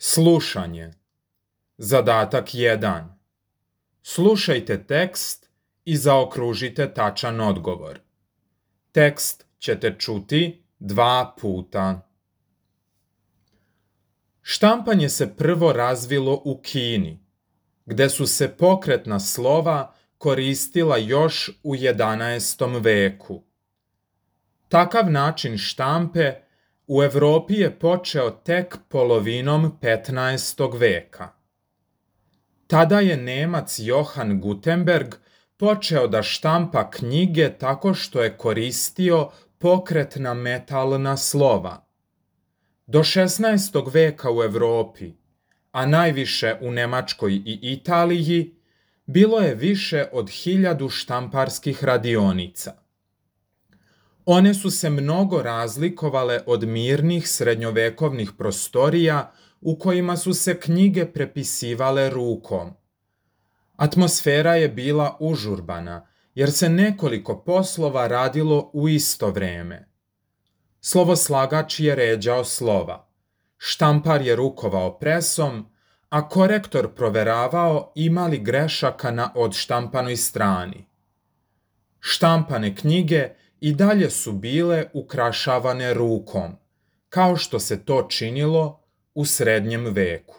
Slušanje. Zadatak 1. Slušajte tekst i zaokružite tačan odgovor. Tekst ćete čuti 2 puta. Štampanje se prvo razvilo u Kini, gde su se pokretna slova koristila još u 11. veku. Takav način štampe u Evropi je počeo tek polovinom 15. veka. Tada je Nemac Johann Gutenberg počeo da štampa knjige tako što je koristio pokretna metalna slova. Do 16. veka u Evropi, a najviše u Nemačkoj i Italiji, bilo je više od 1000 štamparskih radionica. One su se mnogo razlikovale od mirnih srednjovekovnih prostorija u kojima su se knjige prepisivale rukom. Atmosfera je bila užurbana, jer se nekoliko poslova radilo u isto vreme. Slovoslagač je ređao slova, štampar je rukovao presom, a korektor proveravao ima li grešaka na odštampanoj strani. Štampane knjige i dalje su bile ukrašavane rukom, kao što se to činilo u srednjem veku.